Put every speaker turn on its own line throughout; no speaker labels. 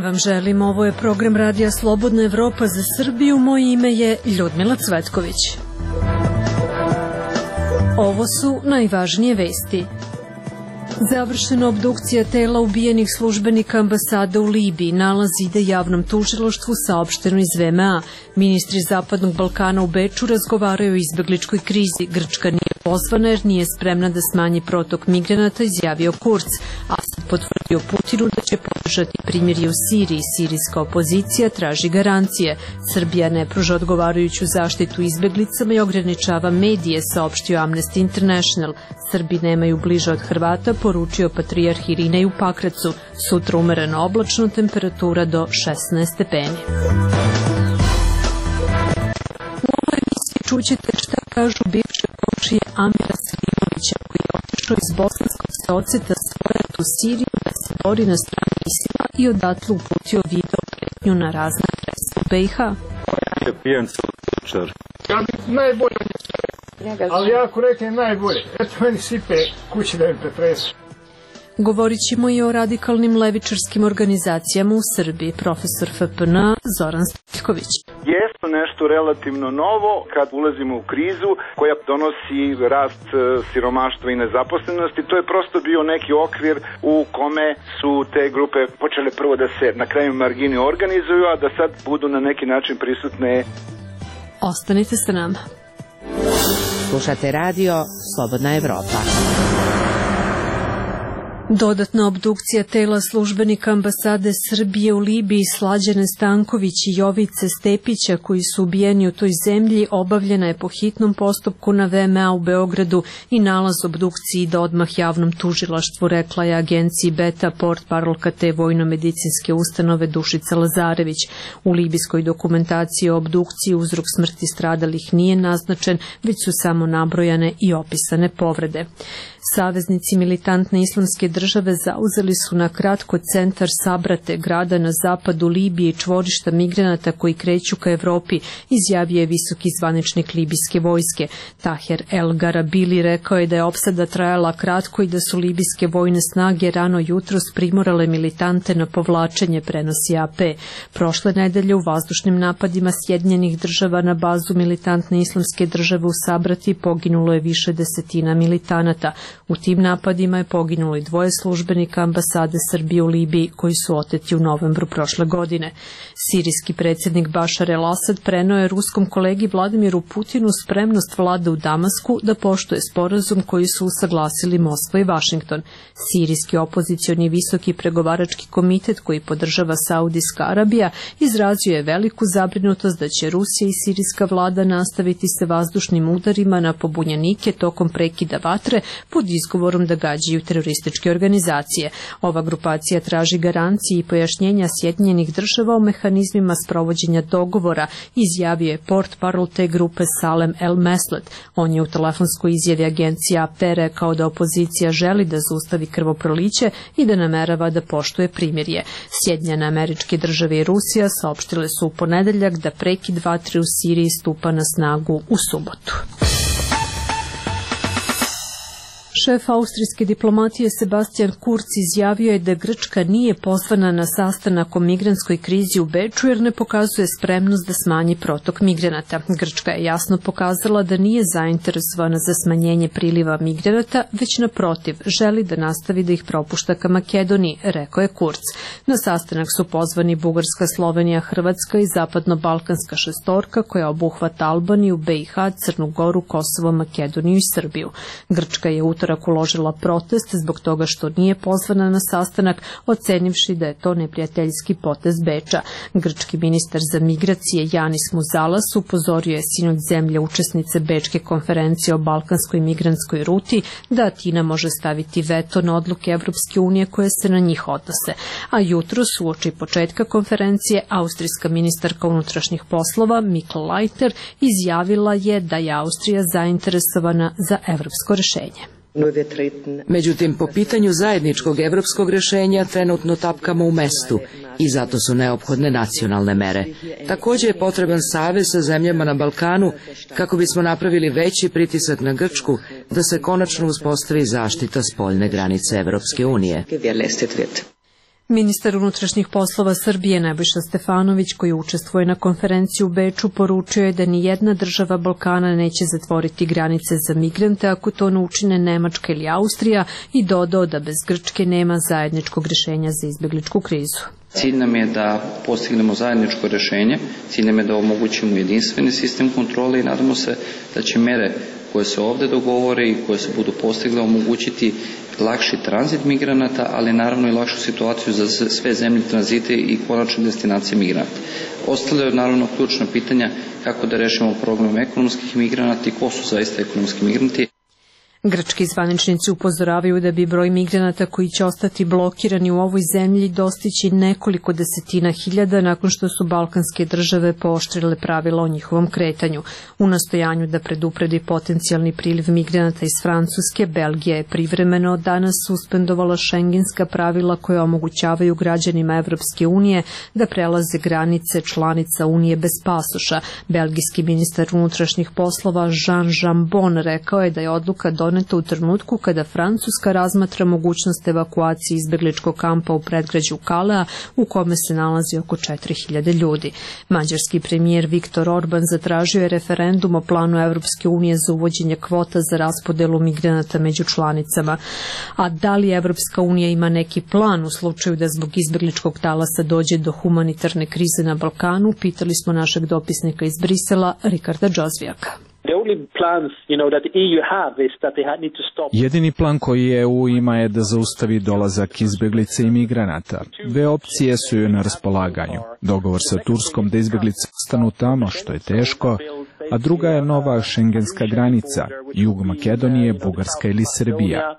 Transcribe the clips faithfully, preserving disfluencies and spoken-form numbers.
vam želim. Ovo je program Radija Slobodna Evropa za Srbiju. Moje ime je Ljudmila Cvetković. Ovo su najvažnije vesti. Završena obdukcija tela ubijenih službenika ambasade u Libiji. Nalaz ide javnom tužilaštvu, saopšteno iz V M A. Ministri Zapadnog Balkana u Beču razgovaraju o izbegličkoj krizi. Grčka nije pozvana jer nije spremna da smanji protok migranata, izjavio Kurz. Asad potvrdio Putinu da će podržati primirje u Siriji. Sirijska opozicija traži garancije. Srbija ne pruža odgovarajuću zaštitu izbeglicama i ograničava medije, saopštio Amnesty International. Srbi nemaju bliže od Hrvata, poručio patrijarh Irinej u Pakracu. Sutra umereno oblačno, temperatura do šesnaest stepeni. U ovoj emisiji čućete šta kažu bivše komšije Amira Selimovića, koji je otišao iz Bosanskog Seoceta svojat u Siriju da se bori na strani Isila i odatle uputio video pretnju na razne adrese u B i H.
Ja pijem slučar.
Ja bih najbolje, ali ja ako reknem najbolje, eto meni sipe kući da mi pretresu.
Govorit ćemo i o radikalnim levičarskim organizacijama u Srbiji. Profesor F P N Zoran Stojiljković.
Jeste nešto relativno novo kad ulazimo u krizu koja donosi rast siromaštva i nezaposlenosti. To je prosto bio neki okvir u kome su te grupe počele prvo da se na kraju margini organizuju, a da sad budu na neki način prisutne.
Ostanite sa nama.
Slušate radio Slobodna Evropa.
Dodatna obdukcija tela službenika ambasade Srbije u Libiji Slađane Stanković i Jovice Stepića, koji su ubijeni u toj zemlji, obavljena je po hitnom postupku na V M A u Beogradu i nalaz obdukciji ide odmah javnom tužilaštvu, rekla je agenciji Beta portparolka te vojno-medicinske ustanove Dušica Lazarević. U libijskoj dokumentaciji o obdukciji uzrok smrti stradalih nije naznačen, već su samo nabrojane i opisane povrede. Saveznici militantne islamske države zauzeli su na kratko centar Sabrate, grada na zapadu Libije i čvorišta migranata koji kreću ka Evropi, izjavio je visoki zvaničnik libijske vojske. Taher El Garabili rekao je da je opsada trajala kratko i da su libijske vojne snage rano jutros primorale militante na povlačenje, prenosi A P. Prošle nedelje u vazdušnim napadima Sjedinjenih država na bazu militantne islamske države u Sabrati poginulo je više desetina militanata. U tim napadima je poginulo i dvoje službenika ambasade Srbije u Libiji koji su oteti u novembru prošle godine. Sirijski predsjednik Bašar el-Asad preneo je ruskom kolegi Vladimiru Putinu spremnost vlade u Damasku da poštuje sporazum koji su usaglasili Moskva i Vašington. Sirijski opozicioni visoki pregovarački komitet koji podržava Saudijska Arabija izrazio je veliku zabrinutost da će Rusija i sirijska vlada nastaviti se vazdušnim udarima na pobunjenike tokom prekida vatre pod izgovorom da gađaju terorističke organizacije. Ova grupacija traži garancije i pojašnjenja Sjedinjenih država o mehanizmima sprovođenja dogovora, izjavio je portparol te grupe Salem El Meslet. On je u telefonskoj izjavi agencija A P rekao da opozicija želi da zaustavi krvoproliće i da namerava da poštuje primirje. Sjedinjene Američke države i Rusija saopštile su u ponedeljak da prekid vatre u Siriji stupa na snagu u subotu. Šef austrijske diplomatije Sebastian Kurz izjavio je da Grčka nije pozvana na sastanak o migrantskoj krizi u Beču jer ne pokazuje spremnost da smanji protok migranata. Grčka je jasno pokazala da nije zainteresovana za smanjenje priliva migranata, već naprotiv želi da nastavi da ih propušta ka Makedoniji, rekao je Kurz. Na sastanak su pozvani Bugarska, Slovenija, Hrvatska i zapadno-balkanska šestorka koja obuhvata Albaniju, B i H, Crnu Goru, Kosovo, Makedoniju i Srbiju. Grčka je utorak uložila protest zbog toga što nije pozvana na sastanak, ocenivši da je to neprijateljski potez Beča. Grčki ministar za migracije Janis Muzalas upozorio je sinoć zemlje učesnice Bečke konferencije o balkanskoj migrantskoj ruti da Atina može staviti veto na odluke Evropske unije koje se na njih odnose. A jutros, uoči početka konferencije, austrijska ministarka unutrašnjih poslova Mikl Leitner izjavila je da je Austrija zainteresovana za evropsko rešenje.
Međutim, po pitanju zajedničkog evropskog rešenja trenutno tapkamo u mestu i zato su neophodne nacionalne mere. Također je potreban savez sa zemljama na Balkanu kako bismo napravili veći pritisak na Grčku da se konačno uspostavi zaštita spoljne granice Evropske unije.
Ministar unutrašnjih poslova Srbije Nebojša Stefanović, koji učestvuje na konferenciji u Beču, poručio je da ni jedna država Balkana neće zatvoriti granice za migrante ako to ne učine Nemačka ili Austrija i dodao da bez Grčke nema zajedničkog rješenja za izbjegličku krizu.
Cilj nam je da postignemo zajedničko rješenje, cilj nam je da omogućimo jedinstveni sistem kontrole i nadamo se da će mere koje se ovdje dogovore i koje se budu postigle omogućiti lakši tranzit migranata, ali naravno i lakšu situaciju za sve zemlje tranzite i konačne destinacije migranata. Ostale naravno ključna pitanja kako da rešimo problem ekonomskih migranata i ko su zaista ekonomski migranti.
Grčki zvaničnici upozoravaju da bi broj migranata koji će ostati blokirani u ovoj zemlji dostići nekoliko desetina hiljada nakon što su balkanske države pooštrile pravila o njihovom kretanju. U nastojanju da predupredi potencijalni priliv migranata iz Francuske, Belgija je privremeno od danas suspendovala šengenska pravila koja omogućavaju građanima Evropske unije da prelaze granice članica Unije bez pasoša. Belgijski ministar unutrašnjih poslova Jean Jambon rekao je da je odluka doneta u trenutku kada Francuska razmatra mogućnost evakuacije izbjegličkog kampa u predgrađu Kalea u kome se nalazi oko četiri hiljade ljudi. Mađarski premijer Viktor Orban zatražio je referendum o planu Evropske unije za uvođenje kvota za raspodelu migranata među članicama. A da li Evropska unija ima neki plan u slučaju da zbog izbjegličkog talasa dođe do humanitarne krize na Balkanu, pitali smo našeg dopisnika iz Brisela, Rikarda Džozvijaka.
Jedini plan koji E U ima je da zaustavi dolazak izbjeglice i migranata. Dve opcije su joj na raspolaganju. Dogovor sa Turskom da izbjeglice ostanu tamo, što je teško, a druga je nova šengenska granica, jug Makedonije, Bugarska ili Srbija.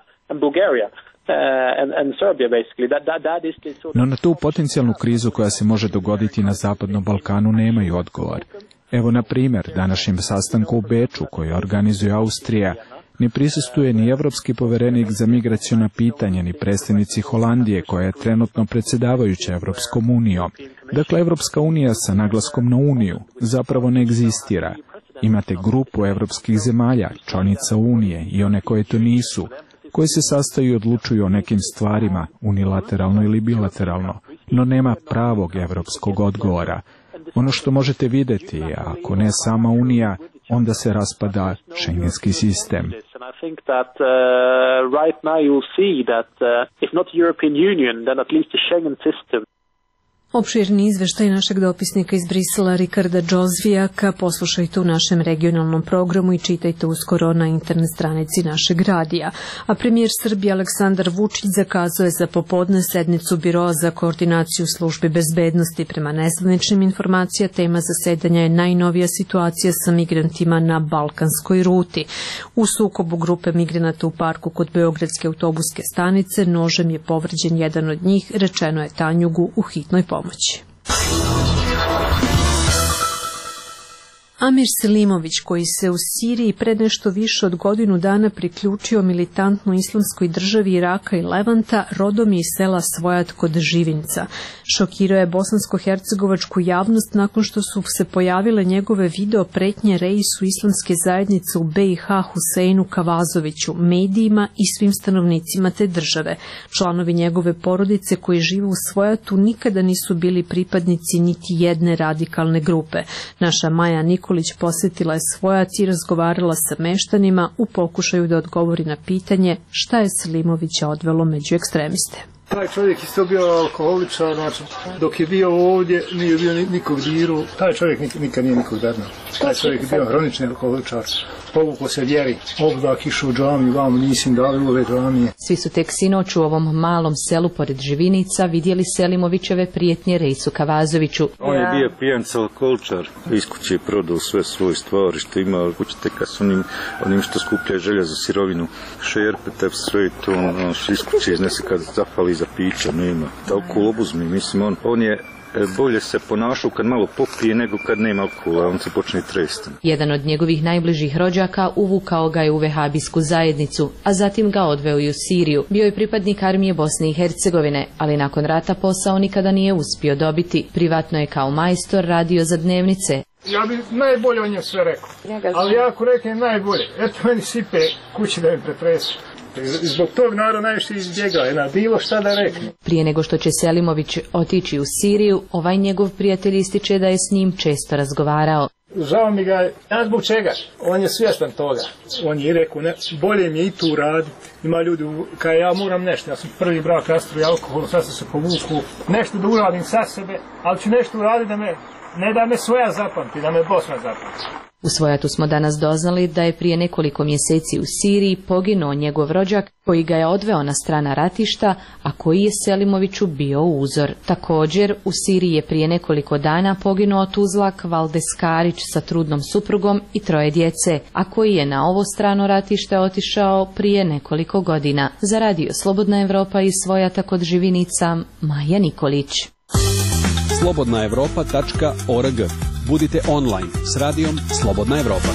No na tu potencijalnu krizu koja se može dogoditi na Zapadnom Balkanu nemaju odgovor. Evo, na primjer, današnjem sastanku u Beču, koji organizuje Austrija, ne prisustuje ni evropski poverenik za migraciona pitanja, ni predstavnici Holandije, koja je trenutno predsjedavajuća Evropskom unijom. Dakle, Evropska unija sa naglaskom na uniju zapravo ne egzistira. Imate grupu evropskih zemalja, članica unije i one koje to nisu, koje se sastaju i odlučuju o nekim stvarima, unilateralno ili bilateralno, no nema pravog evropskog odgovora. Ono što možete vidjeti, ako ne sama Unija, onda se raspada šengenski sistem.
Opširni izveštaj našeg dopisnika iz Brisela Rikarda Džozvijaka poslušajte u našem regionalnom programu i čitajte uskoro na internet stranici našeg radija. A premijer Srbije Aleksandar Vučić zakazao je za popodne sednicu Biroa za koordinaciju službi bezbednosti. Prema nezvaničnim informacija, tema zasedanja je najnovija situacija sa migrantima na balkanskoj ruti. U sukobu grupe migranata u parku kod Beogradske autobuske stanice nožem je povređen jedan od njih, rečeno je Tanjugu u hitnoj pomoći. Amir Selimović, koji se u Siriji pred nešto više od godinu dana priključio militantnoj islamskoj državi Iraka i Levanta, rodom je iz sela Svojat kod Živinca. Šokirao je bosansko-hercegovačku javnost nakon što su se pojavile njegove video pretnje reisu islamske zajednice u B i H Huseinu Kavazoviću, medijima i svim stanovnicima te države. Članovi njegove porodice koji žive u Svojatu nikada nisu bili pripadnici niti jedne radikalne grupe. Naša Maja Nikolić posjetila je Svojac i razgovarala sa meštanima u pokušaju da odgovori na pitanje šta je Selimovića odvelo među ekstremiste.
Taj čovjek isto bio alkoholičar, znači, dok je bio ovdje, nije bio nikog diru, taj čovjek nik, nikad nije nikog dadno. Taj čovjek je bio hronični alkoholičar, povukao se vjeri, obdak išao u džamiju, vamo nisim dali ove džamije.
Svi su tek sinoć u ovom malom selu pored Živinica vidjeli Selimovićeve prijetnje Reisu Kavazoviću.
On je bio pijanca alkoholičar, iz kuće je prodao sve svoje stvari što ima, kuće teka s onim, onim što skuplja želja za sirovinu, šerpe, tep, sve to, ono, iz kuće iznese kad zafali za pića, nema. Alkohol obuzmi, mislim, on, on je bolje se ponašao kad malo popije nego kad nema alkohola, on se počne tresti.
Jedan od njegovih najbližih rođaka uvukao ga je u vehabijsku zajednicu, a zatim ga odveo i u Siriju. Bio je pripadnik armije Bosne i Hercegovine, ali nakon rata posao nikada nije uspio dobiti. Privatno je kao majstor radio za dnevnice.
Ja bi najbolje o njemu sve rekao, ali ja ako reknem najbolje, eto meni sipe kući da mi pretresu. Zbog tog narod najviše izbjegao, na bilo šta da rekne.
Prije nego što će Selimović otići u Siriju, ovaj njegov prijatelj ističe da je s njim često razgovarao.
Žao mi ga, ja zbog čega? On je svjestan toga. On je rekao, ne, bolje mi je i tu raditi. Ima ljudi, kao ja moram nešto, ja sam prvi brak rastru i alkohol, sad sam se povuku, nešto da uradim sa sebe, ali ću nešto uraditi da me, ne da me svoja zapamti, da me Bosna zapamti.
U Svojatu smo danas doznali da je prije nekoliko mjeseci u Siriji poginuo njegov rođak koji ga je odveo na strana ratišta, a koji je Selimoviću bio uzor. Također, u Siriji je prije nekoliko dana poginuo tuzlak Valdes Karić sa trudnom suprugom i troje djece, a koji je na ovo strano ratište otišao prije nekoliko godina. Za radio Slobodna Evropa iz Svojata kod Živinica, Maja Nikolić.
slobodna evropa tačka org. Budite online s radijom Slobodna Evropa.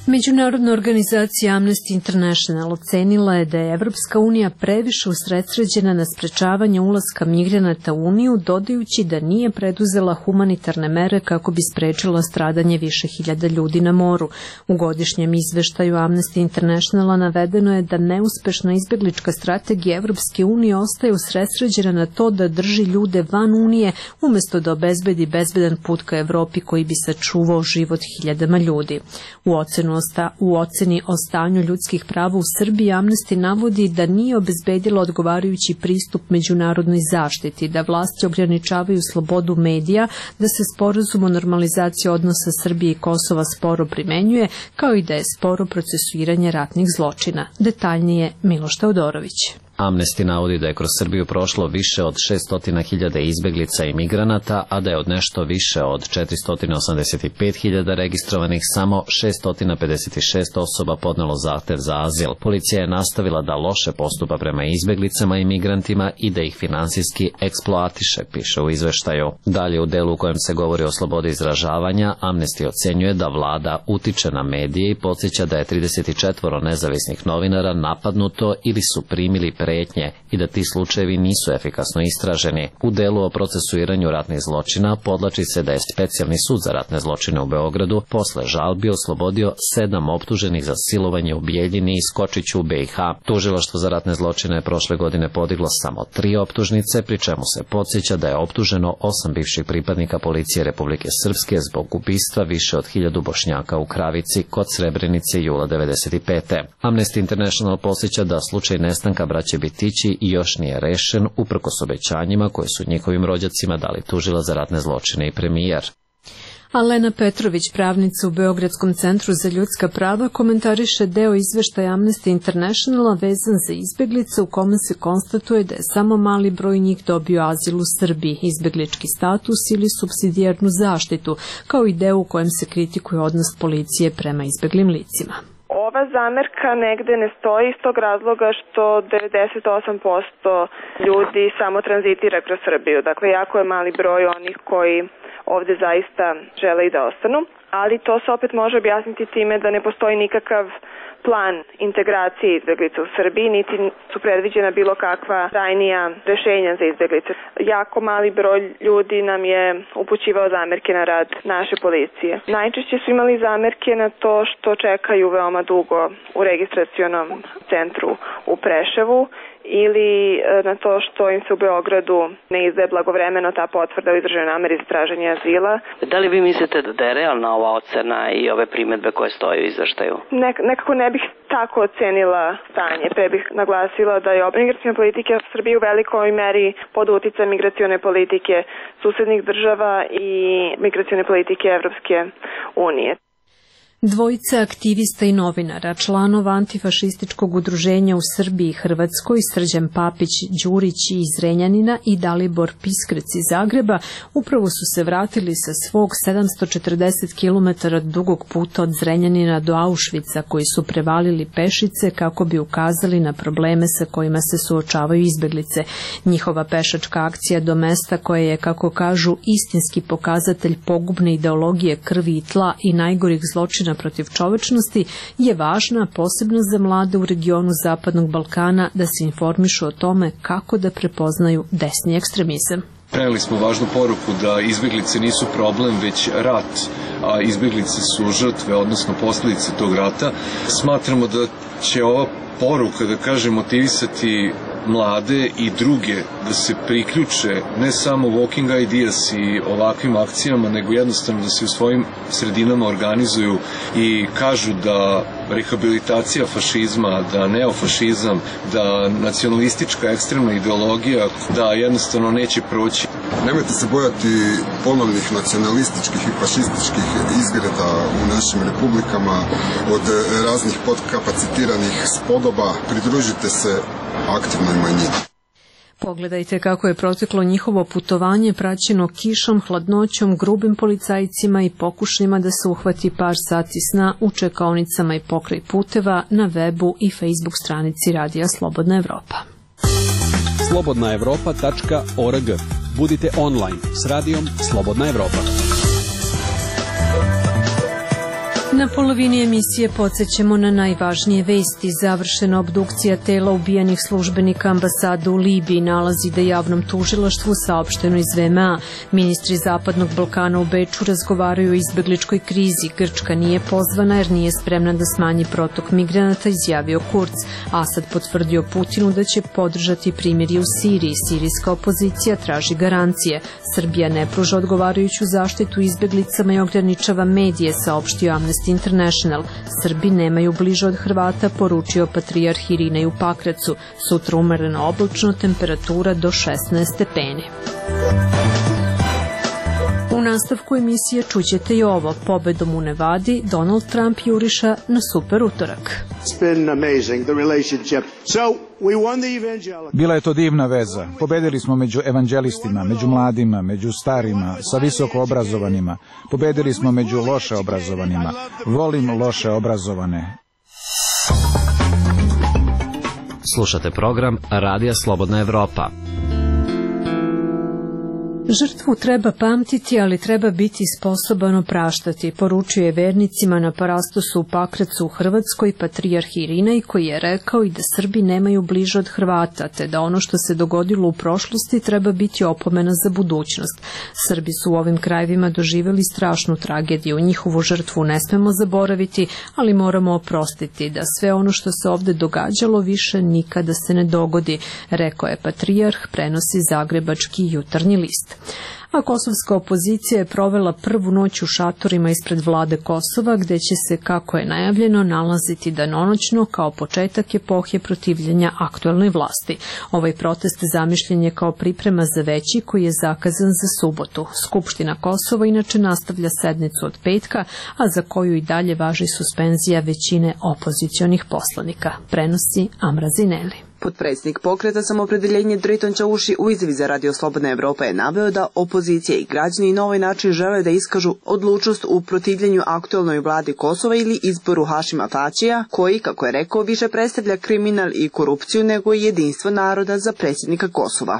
Međunarodna organizacija Amnesty International ocenila je da je Evropska unija previše usredsređena na sprečavanje ulaska migranata u Uniju, dodajući da nije preduzela humanitarne mere kako bi sprečila stradanje više hiljada ljudi na moru. U godišnjem izveštaju Amnesty Internationala navedeno je da neuspešna izbeglička strategija Evropske unije ostaje usredsređena na to da drži ljude van Unije, umjesto da obezbedi bezbedan put ka Evropi koji bi sačuvao život hiljadama ljudi. U ocenu U oceni o stanju ljudskih prava u Srbiji Amnesty navodi da nije obezbedila odgovarajući pristup međunarodnoj zaštiti, da vlasti ograničavaju slobodu medija, da se sporazum o normalizaciji odnosa Srbije i Kosova sporo primenjuje, kao i da je sporo procesuiranje ratnih zločina. Detaljnije Miloš Teodorović.
Amnesty navodi da je kroz Srbiju prošlo više od šesto hiljada izbeglica i migranata, a da je od nešto više od četiristo osamdeset pet hiljada registrovanih samo šesto pedeset šest osoba podnelo zahtev za azil. Policija je nastavila da loše postupa prema izbeglicama i migrantima i da ih finansijski eksploatiše, piše u izveštaju. Dalje u delu u kojem se govori o slobodi izražavanja, Amnesty ocenjuje da vlada utiče na medije i podsjeća da je trideset četiri nezavisnih novinara napadnuto ili su primili pretnje i da ti slučajevi nisu efikasno istraženi. U delu o procesuiranju ratnih zločina podlači se da je Specijalni sud za ratne zločine u Beogradu posle žalbi oslobodio sedam optuženih za silovanje u Bijeljini i Skočiću u B i H. Tužilaštvo za ratne zločine je prošle godine podiglo samo tri optužnice, pri čemu se podsjeća da je optuženo osam bivših pripadnika policije Republike Srpske zbog ubistva više od hiljadu Bošnjaka u Kravici kod Srebrenice jula devedeset pete. Amnesty International podsjeća da slučaj nestanka braće Bitići još nije rešen, uprkos obećanjima koje su njihovim rođacima dali tužilac za ratne zločine i premijer.
Alena Petrović, pravnica u Beogradskom centru za ljudska prava, komentariše deo izveštaja Amnesty Internationala vezan za izbeglice u kome se konstatuje da je samo mali broj njih dobio azil u Srbiji, izbeglički status ili supsidijarnu zaštitu, kao i deo u kojem se kritikuje odnos policije prema izbeglim licima.
Ova zamerka negde ne stoji iz tog razloga što devedeset osam posto ljudi samo tranzitira kroz Srbiju. Dakle, jako je mali broj onih koji ovde zaista žele i da ostanu, ali to se opet može objasniti time da ne postoji nikakav plan integracije izbeglica u Srbiji, niti su predviđena bilo kakva trajnija rešenja za izbeglice. Jako mali broj ljudi nam je upućivao zamerke na rad naše policije. Najčešće su imali zamerke na to što čekaju veoma dugo u registracionom centru u Preševu ili na to što im se u Beogradu ne izdaje blagovremeno ta potvrda o izraženoj nameri za traženje azila.
Da li vi mislite da je realna ova ocena i ove primedbe koje stoje u izveštaju?
Nek, nekako ne bih tako ocenila stanje. Pre bih naglasila da je migraciona politika Srbije u velikoj meri pod uticajem migracione politike susednih država i migracione politike Evropske unije.
Dvojica aktivista i novinara, članova antifašističkog udruženja u Srbiji i Hrvatskoj, Srđan Papić Đurić iz Zrenjanina i Dalibor Piskrec iz Zagreba, upravo su se vratili sa svog sedamsto četrdeset kilometara dugog puta od Zrenjanina do Auschwitza, koji su prevalili pešice kako bi ukazali na probleme sa kojima se suočavaju izbeglice. Njihova pešačka akcija do mesta koje je, kako kažu, istinski pokazatelj pogubne ideologije krvi i tla i najgorih zločina protiv čovečnosti je važna posebno za mlade u regionu Zapadnog Balkana da se informišu o tome kako da prepoznaju desni ekstremizam.
Preneli smo važnu poruku da izbeglice nisu problem, već rat, a izbeglice su žrtve, odnosno posljedice tog rata. Smatramo da će ova poruka, da kažem, motivisati mlade i druge da se priključe ne samo Walking Ideas i ovakvim akcijama, nego jednostavno da se u svojim sredinama organizuju i kažu da rehabilitacija fašizma, da neofašizam, da nacionalistička ekstremna ideologija, da jednostavno neće proći.
Nemojte se bojati ponovnih nacionalističkih i fašističkih izgreda u našim republikama od raznih podkapacitiranih spodoba. Pridružite se aktivnoj manjini.
Pogledajte kako je proteklo njihovo putovanje praćeno kišom, hladnoćom, grubim policajcima i pokušajima da se uhvati par sati sna u čekaonicama i pokraj puteva na webu i Facebook stranici Radija Slobodna Evropa.
slobodna evropa tačka org. Budite online s Radijom Slobodna Evropa.
Na polovini emisije podsjećamo na najvažnije vesti. Završena obdukcija tela ubijenih službenika ambasade u Libiji nalazi da javnom tužilaštvu saopšteno iz V M A. Ministri Zapadnog Balkana u Beču razgovaraju o izbegličkoj krizi. Grčka nije pozvana jer nije spremna da smanji protok migranata, izjavio Kurz. Asad potvrdio Putinu da će podržati primirje u Siriji. Sirijska opozicija traži garancije. Srbija ne pruža odgovarajuću zaštitu izbeglicama i ograničava medije, saopštio Amnesty International. Srbi nemaju bliže od Hrvata, poručio patrijarh Irinej u Pakracu. Sutra umereno oblačno, temperatura do šesnaest stepeni. U nastavku emisije čućete i ovo. Pobedom u Nevadi Donald Trump juriša na super utorak.
Bila je to divna veza. Pobedili smo među evanđelistima, među mladima, među starima, sa visoko obrazovanima. Pobedili smo među loše obrazovanima. Volim loše obrazovane.
Slušate program Radija Slobodna Evropa.
Žrtvu treba pamtiti, ali treba biti sposoban opraštati, poručuje vernicima na parastosu u Pakracu u Hrvatskoj patrijarh Irinej, koji je rekao i da Srbi nemaju bliže od Hrvata, te da ono što se dogodilo u prošlosti treba biti opomena za budućnost. Srbi su u ovim krajevima doživjeli strašnu tragediju, njihovu žrtvu ne smemo zaboraviti, ali moramo oprostiti da sve ono što se ovde događalo više nikada se ne dogodi, rekao je patrijarh, prenosi zagrebački Jutarnji list. A kosovska opozicija je provela prvu noć u šatorima ispred vlade Kosova, gde će se, kako je najavljeno, nalaziti danonoćno kao početak epohe protivljenja aktuelnoj vlasti. Ovaj protest zamišljen je kao priprema za veći koji je zakazan za subotu. Skupština Kosova inače nastavlja sednicu od petka, a za koju i dalje važi suspenzija većine opozicionih poslanika, prenosi Amra Zineli.
Potpredsjednik pokreta Samoopredeljenje Drejton Čauši u izjavi za Radio Slobodna Evropa je naveo da opozicija i građani na ovaj način žele da iskažu odlučnost u protivljenju aktuelnoj vladi Kosova ili izboru Hašima Tačija, koji, kako je rekao, više predstavlja kriminal i korupciju nego i jedinstvo naroda za predsjednika Kosova.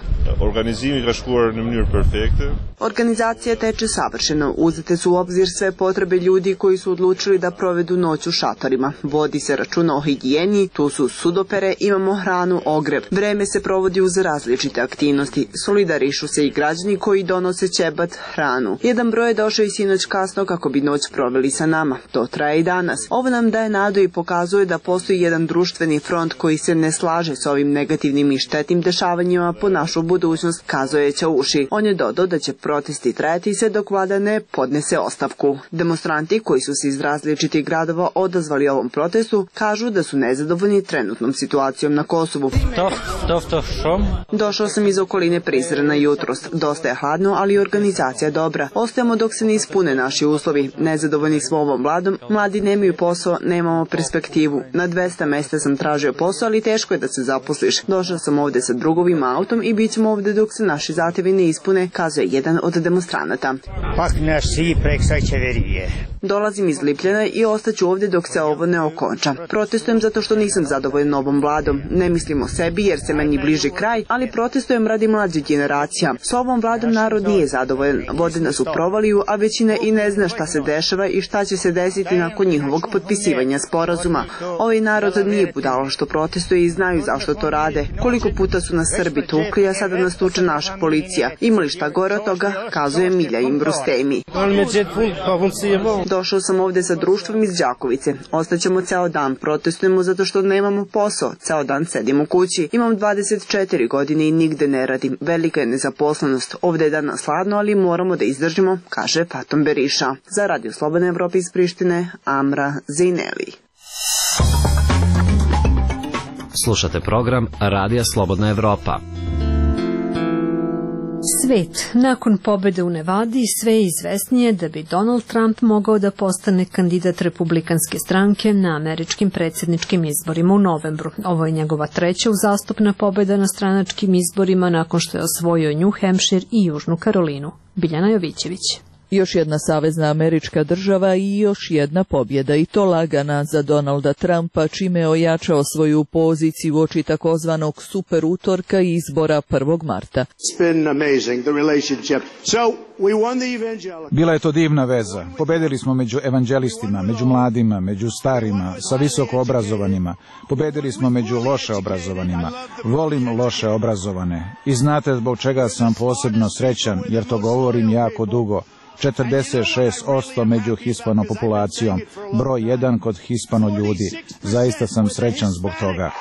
Organizacija teče savršeno. Uzete su u obzir sve potrebe ljudi koji su odlučili da provedu noć u šatorima. Vodi se računa o higijeni, tu su sudopere, imamo hranu, ogrev. Vreme se provodi uz različite aktivnosti. Solidarišu se i građani koji donose ćebat, hranu. Jedan broj je došao i sinoć kasno kako bi noć proveli sa nama. To traje i danas. Ovo nam daje nadu i pokazuje da postoji jedan društveni front koji se ne slaže s ovim negativnim i štetnim dešavanjima po našu budućnost, kazao je Čauši. On je dodao da će protesti trajati sve dok vlada ne podnese ostavku. Demonstranti koji su se iz različitih gradova odazvali ovom protestu kažu da su nezadovoljni trenutnom situacijom na Kosovu. Došao sam iz okoline Prizrena jutros. Dosta je hladno, ali organizacija dobra. Ostajemo dok se ne ispune naši uslovi. Nezadovoljni smo ovom vladom, mladi nemaju posao, nemamo perspektivu. Na dvesta mesta sam tražio posao, ali teško je da se zaposliš. Došao sam ovde sa drugovim autom i bit ćemo ovde dok se naši zahtevi ne ispune, kazuje jedan od demonstranata. Dolazim iz Lipljana i ostaću ovde dok se ovo ne okonča. Protestujem zato što nisam zadovoljan ovom vladom. Ne mislim mislim o sebi jer se meni bliži kraj, ali protestujem radi mlađih generacija. S ovom vladom narod nije zadovoljan. Vode nas u provaliju, a većina i ne zna šta se dešava i šta će se desiti nakon njihovog potpisivanja sporazuma. Ovaj narod nije budalo što protestuje i znaju zašto to rade. Koliko puta su nas Srbi tukli, a sada nas tuče naša policija. Imali šta gore od toga, kazuje Milja Imbrustemi. Došao sam ovde sa društvom iz Đakovice. Ostaćemo ceo dan, protestujemo zato što nemamo posao. Ceo dan sedim u kući. Imam dvadeset četiri godine i nigde ne radim. Velika je nezaposlenost. Ovde je danas hladno, ali moramo da izdržimo, kaže Fatom Beriša. Za Radio Slobodna Evropa iz Prištine, Amra Zejneli.
Slušate program Radija Slobodna Evropa.
Svet. Nakon pobede u Nevadi sve je izvesnije da bi Donald Trump mogao da postane kandidat republikanske stranke na američkim predsjedničkim izborima u novembru. Ovo je njegova treća uzastopna pobeda na stranačkim izborima nakon što je osvojio New Hampshire i Južnu Karolinu. Biljana Jovićević.
Još jedna savezna američka država i još jedna pobjeda, i to lagana za Donalda Trumpa, čime je ojačao svoju poziciju uoči takozvanog super utorka i izbora prvog marta.
Bila je to divna veza. Pobedili smo među evanđelistima, među mladima, među starima, sa visoko obrazovanima. Pobedili smo među loše obrazovanima. Volim loše obrazovane. I znate zbog čega sam posebno srećan, jer to govorim jako dugo. četrdeset šest posto među hispano populacijom, broj jedan kod hispano ljudi. Zaista sam srećan zbog toga.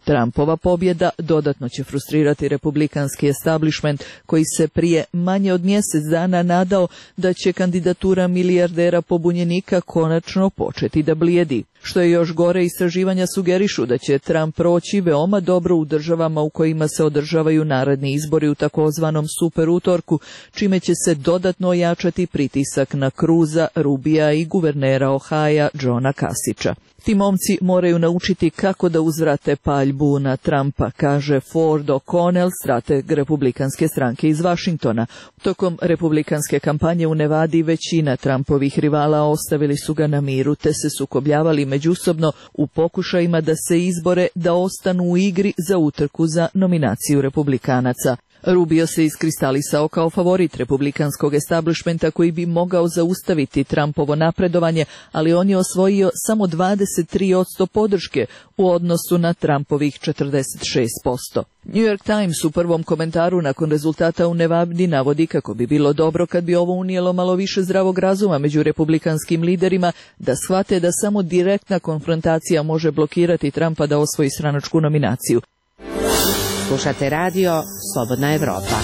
Trumpova pobjeda dodatno će frustrirati republikanski establishment koji se prije manje od mjesec dana nadao da će kandidatura milijardera pobunjenika konačno početi da blijedi. Što je još gore, istraživanja sugerišu da će Trump proći veoma dobro u državama u kojima se održavaju naredni izbori u takozvanom super utorku, čime će se dodatno ojačati pritisak na Cruza, Rubija i guvernera Ohaja Johna Kasića. Ti momci moraju naučiti kako da uzvrate paljbu na Trumpa, kaže Ford O'Connell, strateg republikanske stranke iz Vašingtona. Tokom republikanske kampanje u Nevadi većina Trumpovih rivala ostavili su ga na miru te se sukobljavali međusobno u pokušajima da se izbore da ostanu u igri za utrku za nominaciju republikanaca. Rubio se iskristalisao kao favorit republikanskog establishmenta koji bi mogao zaustaviti Trumpovo napredovanje, ali on je osvojio samo dvadeset tri posto podrške u odnosu na Trumpovih četrdeset šest posto. New York Times u prvom komentaru nakon rezultata u Nevadi navodi kako bi bilo dobro kad bi ovo unijelo malo više zdravog razuma među republikanskim liderima, da shvate da samo direktna konfrontacija može blokirati Trumpa da osvoji stranačku nominaciju.
Slušate radio Slobodna Evropa.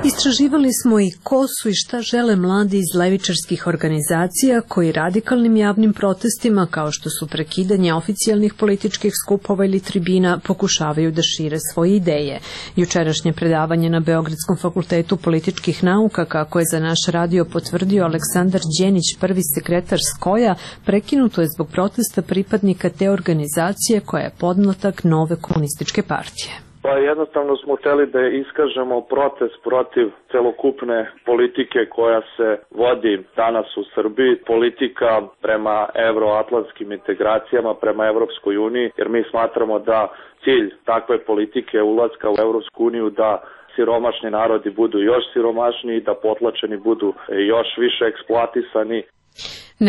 Istraživali smo i ko su i šta žele mladi iz levičarskih organizacija koji radikalnim javnim protestima, kao što su prekidanje oficijalnih političkih skupova ili tribina, pokušavaju da šire svoje ideje. Jučerašnje predavanje na Beogradskom fakultetu političkih nauka, kako je za naš radio potvrdio Aleksandar Đenić, prvi sekretar Skoja, prekinuto je zbog protesta pripadnika te organizacije koja je podmlatak nove komunističke partije.
Pa jednostavno smo hteli da iskažemo protest protiv celokupne politike koja se vodi danas u Srbiji, politika prema evroatlantskim integracijama, prema Evropskoj uniji, jer mi smatramo da cilj takve politike ulaska u Evropsku uniju da siromašni narodi budu još siromašniji, da potlačeni budu još više eksploatisani.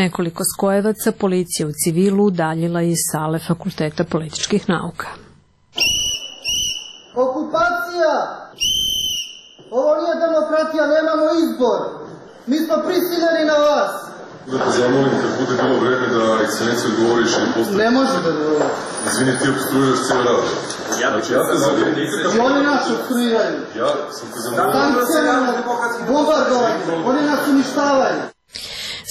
Nekoliko skojevaca policija u civilu udaljila iz sale Fakulteta političkih nauka.
Okupacija! Ovo nije demokratija, nemamo izbor. Mi smo prisiljeni na vas.
Da te zamolim kad bude bilo vreme da ekscelencija odgovoriš i postaviti.
Ne može da odgovori.
Izvini, ti obstruiraš cijel rad. Znači, ja te zamolim.
I oni nas obstruiraju.
Ja sam te zamolim.
Sankcijama, bombardovanje. Oni nas uništavaju.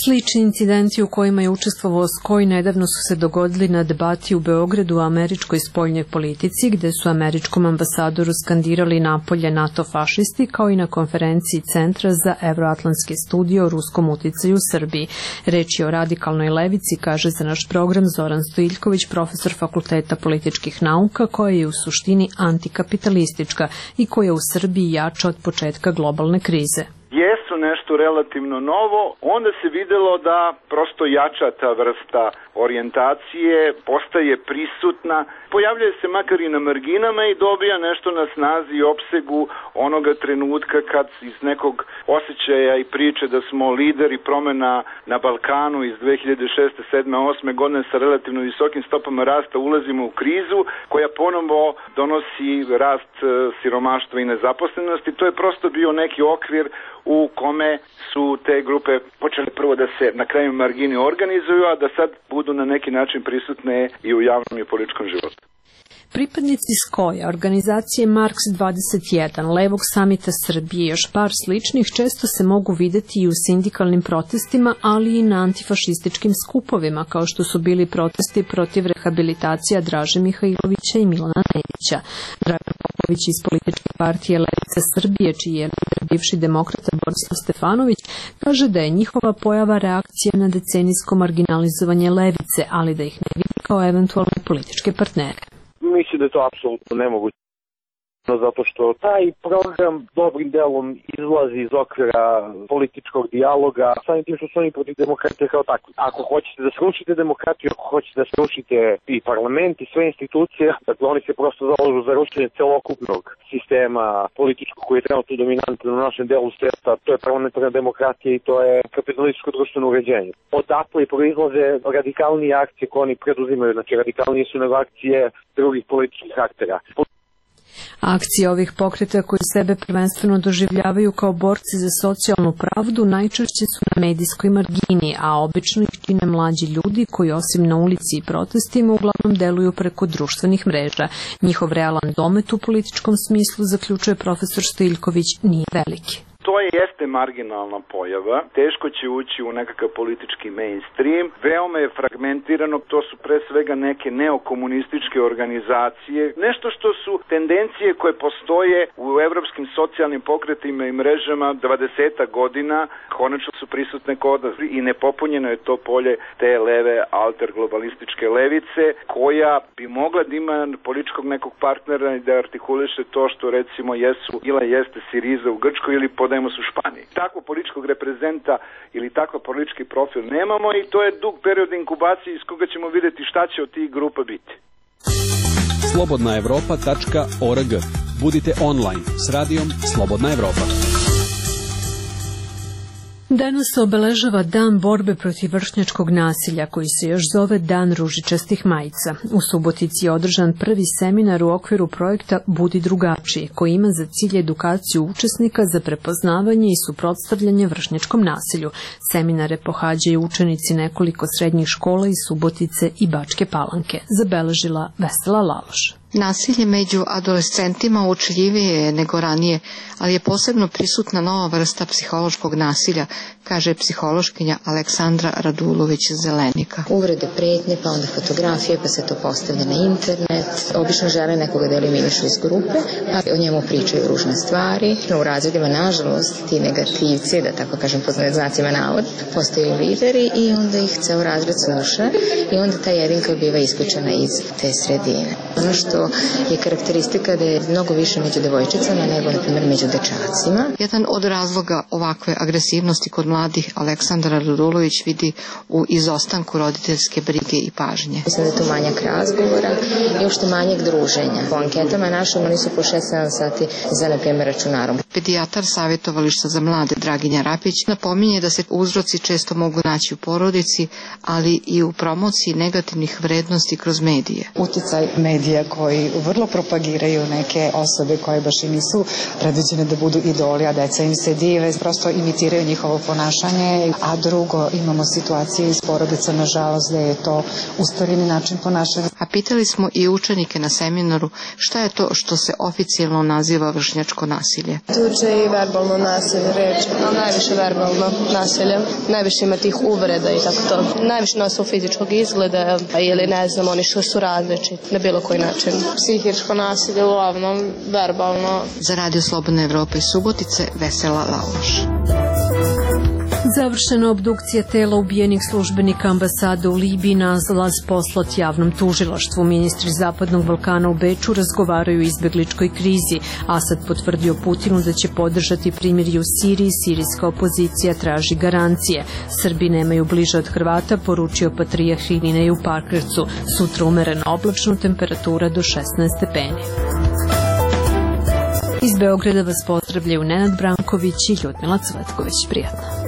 Slični incidenti u kojima je učestvovao Skoj nedavno su se dogodili na debati u Beogradu o američkoj spoljnoj politici, gde su američkom ambasadoru skandirali napolje NATO fašisti, kao i na konferenciji Centra za evroatlantske studije o ruskom uticaju u Srbiji. Reč je o radikalnoj levici, kaže za naš program Zoran Stojiljković, profesor Fakulteta političkih nauka, koja je u suštini antikapitalistička i koja u Srbiji jača od početka globalne krize.
Jesu nešto relativno novo, onda se videlo da prosto jača ta vrsta orijentacije, postaje prisutna, pojavljuje se makar i na marginama i dobija nešto na snazi i opsegu onoga trenutka kad iz nekog osjećaja i priče da smo lideri promena na Balkanu iz dve hiljade šeste, sedme, osme godine sa relativno visokim stopama rasta ulazimo u krizu koja ponovo donosi rast siromaštva i nezaposlenosti. To je prosto bio neki okvir u kome su te grupe počele prvo da se na kraju margini organizuju, a da sad budu na neki način prisutne i u javnom i političkom životu.
Pripadnici Skoja, organizacije Marks dvadeset jedan, Levog samita Srbije i još par sličnih često se mogu videti i u sindikalnim protestima, ali i na antifašističkim skupovima, kao što su bili protesti protiv rehabilitacija Draže Mihajlovića i Milana Nedića. Dragan Popović iz političke partije Levica Srbije, čiji je bivši demokrata Borislav Stefanović, kaže da je njihova pojava reakcija na decenijsko marginalizovanje levice, ali da ih ne vidi kao eventualne političke partnere.
Mislim da je to apsolutno nemoguće. Zato što taj program dobrim delom izlazi iz okvira političkog dijaloga, samim tim što su oni protiv demokratije kao takvi. Ako hoćete da srušite demokratiju, ako hoćete da srušite i parlament i sve institucije, dakle oni se prosto zalažu za rušenje celokupnog sistema političkog koji je trenutno dominantan u našem delu sveta, to je parlamentarna demokratija i to je kapitalističko društveno uređenje. Odatle proizlaze radikalnije akcije koje oni preduzimaju, znači radikalnije su nego akcije drugih političkih aktera.
Akcije ovih pokreta koji sebe prvenstveno doživljavaju kao borci za socijalnu pravdu najčešće su na medijskoj margini, a obično ih čine mlađi ljudi koji osim na ulici i protestima uglavnom deluju preko društvenih mreža. Njihov realan domet u političkom smislu, zaključuje profesor Stojiljković, nije veliki.
To je jeste marginalna pojava, teško će ući u nekakav politički mainstream, veoma je fragmentirano, to su pre svega neke neokomunističke organizacije, nešto što su tendencije koje postoje u evropskim socijalnim pokretima i mrežama dvadeset godina, konačno su prisutne kod nas i nepopunjeno je to polje te leve alterglobalističke levice, koja bi mogla da ima političkog nekog partnera i da artikuliše to što recimo jesu ili jeste Siriza u Grčkoj ili pod Podemos u Španiji. Takvog političkog reprezenta ili takav politički profil nemamo i to je dug period inkubacije iz koga ćemo vidjeti šta će od tih grupa biti.
slobodna evropa tačka org. Budite online s radijom Slobodna Evropa.
Danas se obeležava Dan borbe protiv vršnjačkog nasilja, koji se još zove Dan ružičastih majica. U Subotici je održan prvi seminar u okviru projekta Budi drugačiji, koji ima za cilj edukaciju učesnika za prepoznavanje i suprotstavljanje vršnjačkom nasilju. Seminare pohađaju učenici nekoliko srednjih škola iz Subotice i Bačke Palanke, zabeležila Vesela Laloš.
Nasilje među adolescentima uočljivije je nego ranije, ali je posebno prisutna nova vrsta psihološkog nasilja, kaže psihološkinja Aleksandra Radulović-Zelenika.
Uvrede, pretnje, pa onda fotografije, pa se to postavlja na internet. Obično žele nekoga da eliminišu iz grupe, pa o njemu pričaju ružne stvari. U razredima, nažalost, ti negativci, da tako kažem po znacima navod, postaju lideri i onda ih ceo razred sluša i onda ta jedinka biva isključena iz te sredine. Ono što je karakteristika da je mnogo više među devojčicama nego, na primjer, među dečacima.
Jedan od razloga ovakve agresivnosti kod mladih Aleksandra Radulović vidi u izostanku roditeljske brige i pažnje.
Mislim da je tu manjak razgovora i uopšte manjak druženja. Po anketama našim oni su po šest sedam sati za, na primjer, računarom.
Pedijatar savjetovališta za mlade Draginja Rapić napominje da se uzroci često mogu naći u porodici, ali i u promociji negativnih vrednosti kroz medije.
Uticaj medija koji vrlo propagiraju neke osobe koje baš i nisu predviđene da budu idoli, a deca im se dive, prosto imitiraju njihovo ponašanje, a drugo imamo situacije iz porodica, nažalost, da je to usporeni način ponašanja.
A pitali smo i učenike na seminaru šta je to što se oficijalno naziva vršnjačko nasilje.
Tuče i verbalno nasilje, reč, a najviše verbalno nasilje, najviše ima tih uvreda i tako to. Najviše na osnovu fizičkog izgleda ili ne znam, oni što su različiti na bilo koji način. Psihičko nasilje, uglavnom verbalno.
Za Radio Slobodna Evropa iz Subotice, Vesela Laloš.
Završena obdukcija tela ubijenih službenika ambasade u Libiji, nalaz poslat javnom tužilaštvu. Ministri Zapadnog Balkana u Beču razgovaraju o izbegličkoj krizi. Asad potvrdio Putinu da će podržati primirje u Siriji, sirijska opozicija traži garancije. Srbi nemaju bliže od Hrvata, poručio patrijarh Irinej u Pakracu. Sutra umereno oblačno, temperatura do šesnaest stepeni. Iz Beograda vas pozdravljaju Nenad Branković i Ljudmila Cvetković. Prijatno.